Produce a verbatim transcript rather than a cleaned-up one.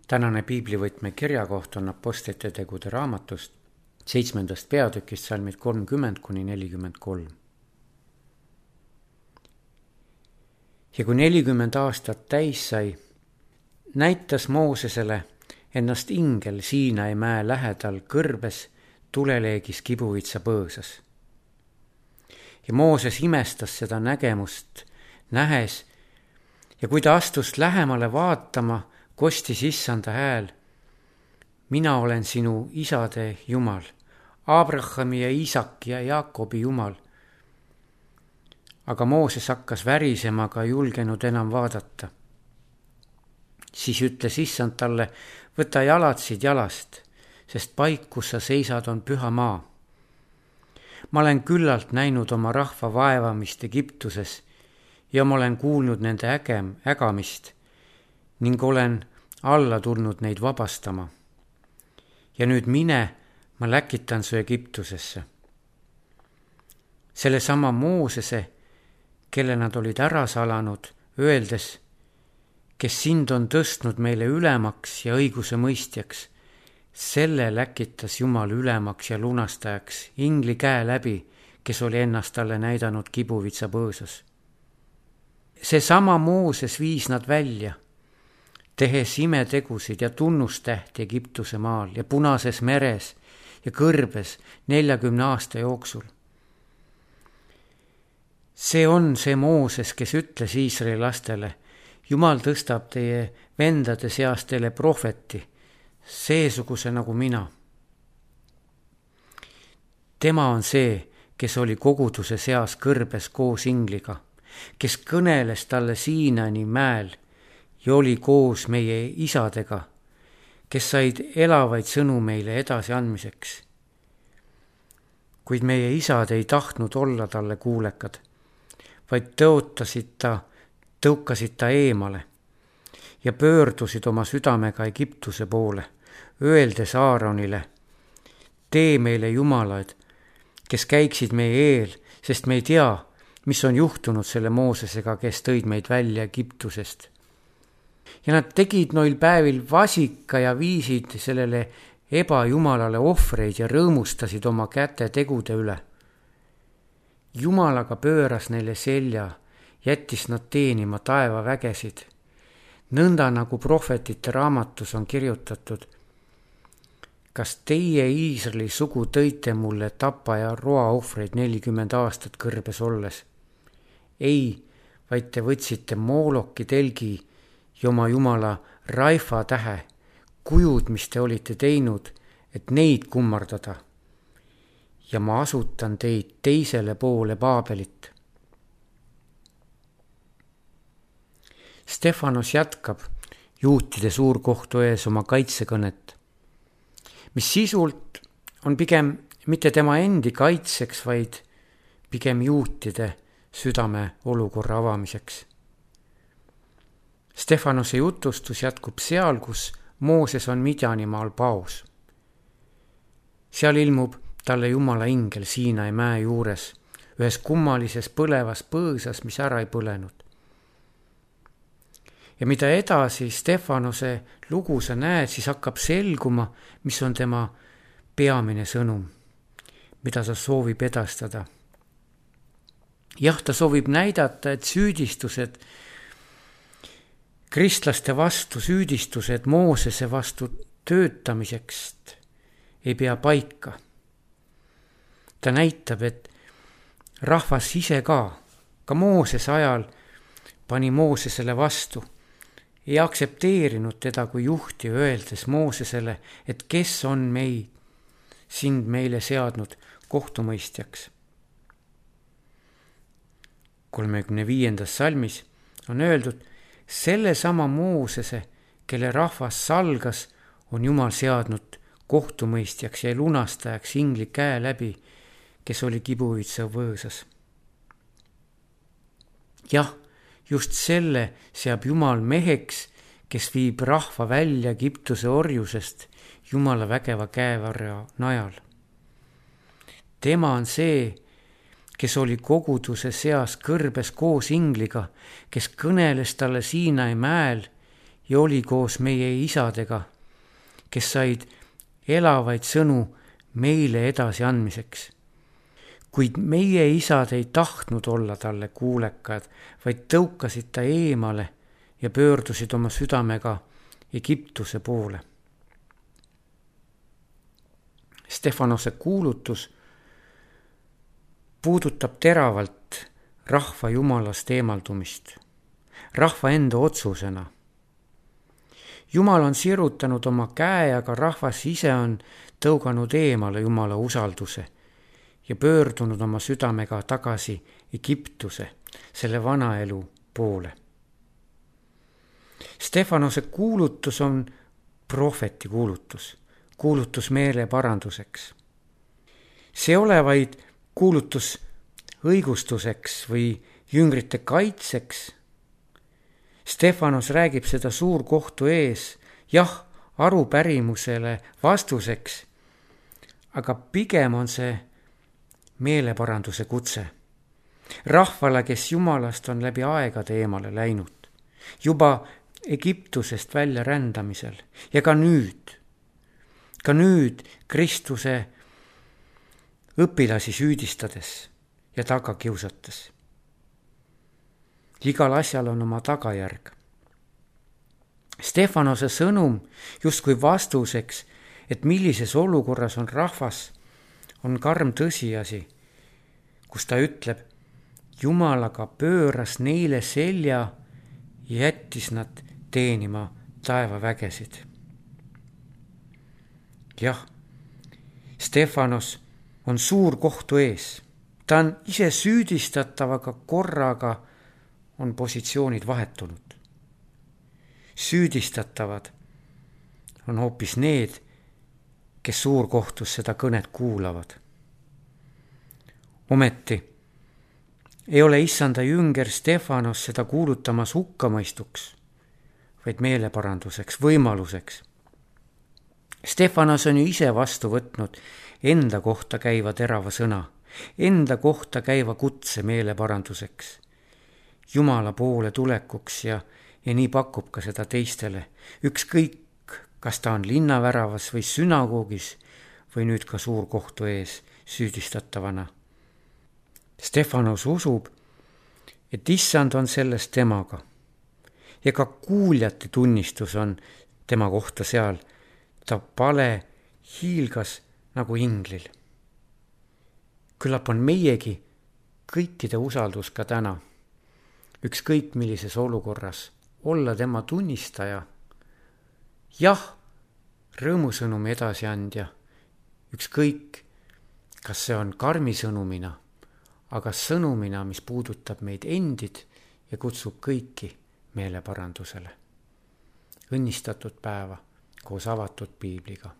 Tänane piiblivõtme kirjakoht on Apostlite tegude raamatust, seitsmendast peatükist salmid kolmkümmend kuni nelikümmend kolm. Ja kui nelikümmend aastat täis sai, näitas Moosesele ennast ingel Siinai mäe lähedal kõrbes tuleleegis kibuvitsa põõsas. Ja Mooses imestas seda nägemust nähes ja kui ta astus lähemale vaatama, kostis issanda hääl: mina olen sinu isade Jumal, Abrahami ja Iisaki ja Jaakobi Jumal. Aga Mooses hakkas värisema, aga ei julgenud enam vaadata. Siis ütles issand talle: võta jalad siit jalast, sest paik, kus sa seisad, on püha maa. Ma olen küllalt näinud oma rahva vaevamist Egiptuses ja ma olen kuulnud nende ägem, ägamist ning olen alla tulnud neid vabastama. Ja nüüd mine, ma läkitan su Egiptusesse. Selle sama Moosese, kelle nad olid ära salanud, öeldes: kes sind on tõstnud meile ülemaks ja õiguse mõistjaks, selle läkitas Jumal ülemaks ja lunastajaks ingli käe läbi, kes oli ennast talle näidanud kibuvitsa põõsas. See sama Mooses viis nad välja, tehes imetegusid ja tunnustähti Egiptuse maal ja Punases meres ja kõrbes neljakümne aasta jooksul. See on see Mooses, kes ütles Iisraeli lastele: Jumal tõstab teie vendade seast teile prohveti, seesuguse nagu mina. Tema on see, kes oli koguduse seas kõrbes koos ingliga, kes kõneles talle Siinani mäel ja oli koos meie isadega, kes said elavaid sõnu meile edasi andmiseks. Kuid meie isad ei tahtnud olla talle kuulekad, vaid tõotasid ta, tõukasid ta eemale ja pöördusid oma südamega Egiptuse poole, öeldes Aaronile: tee meile jumalaid, kes käiksid meie eel, sest me ei tea, mis on juhtunud selle Moosesega, kes tõid meid välja Egiptusest. Ja nad tegid noil päevil vasika ja viisid sellele ebajumalale ohvreid ja rõõmustasid oma käte tegude üle. Jumal aga pööras neile selja, jättis nad teenima taeva vägesid, nõnda nagu prohvetite raamatus on kirjutatud: kas teie Iisraeli sugu tõite mulle tapa ja roa ohvreid nelikümmend aastat kõrbes olles? Ei, vaid te võtsite Mooloki telgi ja oma jumala Raifa tähe, kujud, mis te olite teinud, et neid kummardada. Ja ma asutan teid teisele poole Baabelit. Stefanos jätkab juutide suurkohtu ees oma kaitsekõnet, mis sisult on pigem mitte tema endi kaitseks, vaid pigem juutide südame olukorra avamiseks. Stefanose jutustus jätkub seal, kus Mooses on Midjanimaal paus. Seal ilmub talle Jumala ingel Siinai mäe juures, ühes kummalises põlevas põõsas, mis ära ei põlenud. Ja mida edasi Stefanose lugu sa näed, siis hakkab selguma, mis on tema peamine sõnum, mida ta soovib edastada. Jah, ta soovib näidata, et süüdistused kristlaste vastu, süüdistused Moosese vastu töötamiseks ei pea paika. Ta näitab, et rahvas ise ka, ka Moosese ajal pani Moosesele vastu, ei aktsepteerinud teda kui juhti, öeldes Moosesele, et kes on meid, sind meile seadnud kohtumõistjaks. kolmekümne viiendas salmis on öeldud: selle sama Moosese, kelle rahvas salgas, on Jumal seadnud kohtumõistjaks ja lunastajaks ingli käe läbi, kes oli kibuvitsa võõsas. Jah, just selle seab Jumal meheks, kes viib rahva välja Egiptuse orjusest Jumala vägeva käevarja najal. Tema on see, kes oli koguduse seas kõrbes koos ingliga, kes kõneles talle Siinai mäel ja oli koos meie isadega, kes said elavaid sõnu meile edasi andmiseks. Kuid meie isad ei tahtnud olla talle kuulekad, vaid tõukasid ta eemale ja pöördusid oma südamega Egiptuse poole. Stefanose kuulutus puudutab teravalt rahva jumalast eemaldumist, rahva enda otsusena. Jumal on sirutanud oma käe, aga rahvas ise on tõuganud eemale Jumala usalduse ja pöördunud oma südamega tagasi Egiptuse, selle vana elu poole. Stefanose kuulutus on prohveti kuulutus, kuulutus meele paranduseks. See ei ole vaid kuulutus õigustuseks või jüngrite kaitseks. Stefanos räägib seda suurkohtu ees, jah, arupärimusele vastuseks, aga pigem on see meeleparanduse kutse. Rahvale, kes Jumalast on läbi aegade eemale läinud, juba Egiptusest välja rändamisel ja ka nüüd, ka nüüd Kristuse õpilasi süüdistades ja taga kiusates. Igal asjal on oma tagajärg. Stefanose sõnum justkui vastuseks, et millises olukorras on rahvas, on karm tõsiasi, kus ta ütleb, Jumal aga pööras neile selja ja jättis nad teenima taevavägesid. Jah, Stefanos on suur kohtu ees. Ta on ise süüdistatav, aga korraga on positsioonid vahetunud. Süüdistatavad on hoopis need, kes suurkohtus seda kõnet kuulavad. Ometi ei ole issanda jünger Stefanos seda kuulutamas hukkamõistuks, vaid meeleparanduseks, võimaluseks. Stefanos on ju ise vastu võtnud enda kohta käiva terava sõna, enda kohta käiva kutse meeleparanduseks, Jumala poole tulekuks ja, ja nii pakub ka seda teistele, ükskõik, kas ta on linnaväravas või sünagoogis või nüüd ka suurkohtu ees süüdistatavana. Stefanos usub, et issand on selles temaga ja ka kuuljate tunnistus on tema kohta seal. Ta pale hiilgas nagu inglil. Küllap on meiegi kõikide usaldus ka täna, ükskõik millises olukorras, olla tema tunnistaja. Jah, rõõmusõnumi edasiandja, ükskõik, kas see on karmi sõnumina, aga sõnumina, mis puudutab meid endid ja kutsub kõiki meeleparandusele. Õnnistatud päeva koos avatud piibliga.